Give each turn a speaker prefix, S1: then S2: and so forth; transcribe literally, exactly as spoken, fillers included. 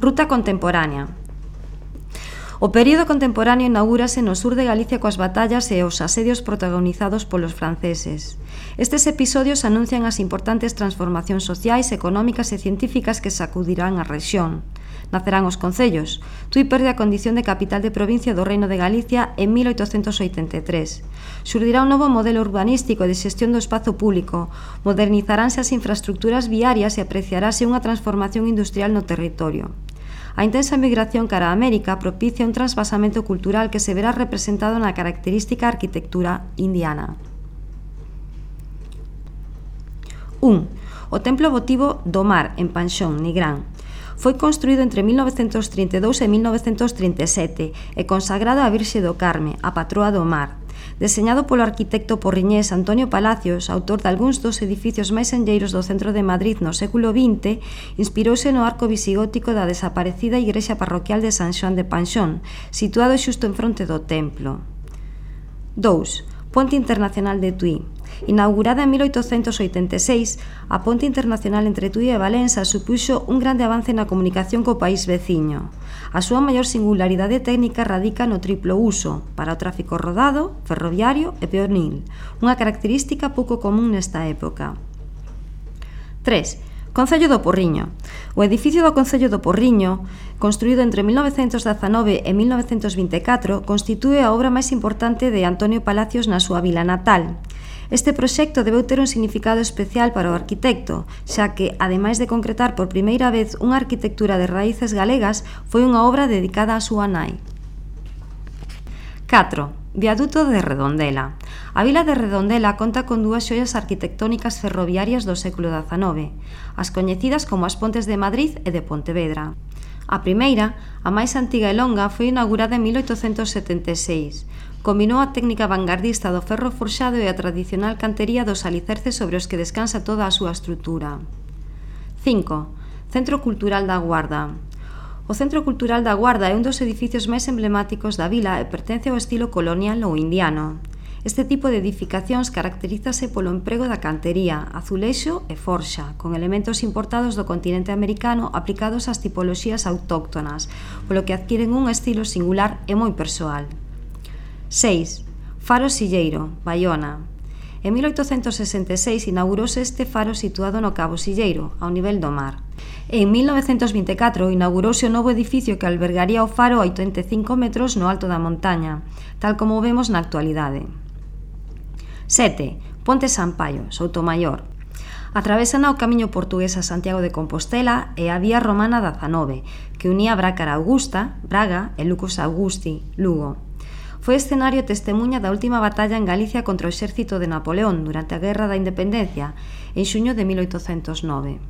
S1: Ruta contemporánea. O período contemporáneo inaugúrase no sur de Galicia coas batallas e os asedios protagonizados polos franceses. Estes episodios anuncian as importantes transformacións sociais, económicas e científicas que sacudirán a rexión. Nacerán os concellos. Tui perde a condición de capital de provincia do Reino de Galicia en mil oitocentos oitenta e tres. Xurdirá un novo modelo urbanístico e de xestión do espazo público, modernizaránse as infraestructuras viarias e apreciarase unha transformación industrial no territorio. A intensa migración cara a América propicia un transvasamento cultural que se verá representado na característica arquitectura indiana. un. O Templo Votivo do Mar, en Panxón, Nigrán. Foi construído entre mil novecentos trinta e dous e mil novecentos trinta e sete e consagrado á Virxe do Carme, a patroa do mar. Deseñado polo arquitecto porriñés Antonio Palacios, autor de algúns dos edificios máis enlleiros do centro de Madrid no século vinte, inspirouse no arco visigótico da desaparecida igrexa parroquial de San Xoán de Panxón, situado xusto en fronte do templo. dous. Ponte Internacional de Tui. Inaugurada en mil oitocentos oitenta e seis, a ponte internacional entre Tui e Valença supuxo un grande avance na comunicación co país veciño. A súa maior singularidade técnica radica no triplo uso, para o tráfico rodado, ferroviario e peonil, unha característica pouco común nesta época. tres. Concello do Porriño. O edificio do Concello do Porriño, construído entre mil novecentos dezanove e mil novecentos vinte e catro, constitúe a obra máis importante de Antonio Palacios na súa vila natal. Este proxecto debeu ter un significado especial para o arquitecto, xa que, ademais de concretar por primeira vez unha arquitectura de raíces galegas, foi unha obra dedicada á súa nai. catro. Viaduto de Redondela. A vila de Redondela conta con dúas xoias arquitectónicas ferroviarias do século dezanove, as coñecidas como as Pontes de Madrid e de Pontevedra. A primeira, a máis antiga e longa, foi inaugurada en mil oitocentos setenta e seis. Combinou a técnica vanguardista do ferro forxado e a tradicional cantería dos alicerces sobre os que descansa toda a súa estrutura. cinco. Centro Cultural da Guarda. O Centro Cultural da Guarda é un dos edificios máis emblemáticos da vila e pertence ao estilo colonial ou indiano. Este tipo de edificacións caracterízase polo emprego da cantería, azulexo e forxa, con elementos importados do continente americano aplicados ás tipoloxías autóctonas, polo que adquiren un estilo singular e moi persoal. seis. Faro Silleiro, Baiona. En mil oitocentos sesenta e seis inaugurouse este faro situado no Cabo Silleiro, ao nivel do mar. En mil novecentos vinte e catro inaugurouse o novo edificio que albergaría o faro a oitenta e cinco metros no alto da montaña, tal como vemos na actualidade. sete. Ponte Sampaio, Soutomaior. Atravesana o camiño portugués a Santiago de Compostela e a vía romana dezanove, que unía Brácara Augusta, Braga e Lucos Augusti, Lugo. Foi escenario e testemuña da última batalla en Galicia contra o exército de Napoleón durante a Guerra da Independencia, en xuño de mil oitocentos nove.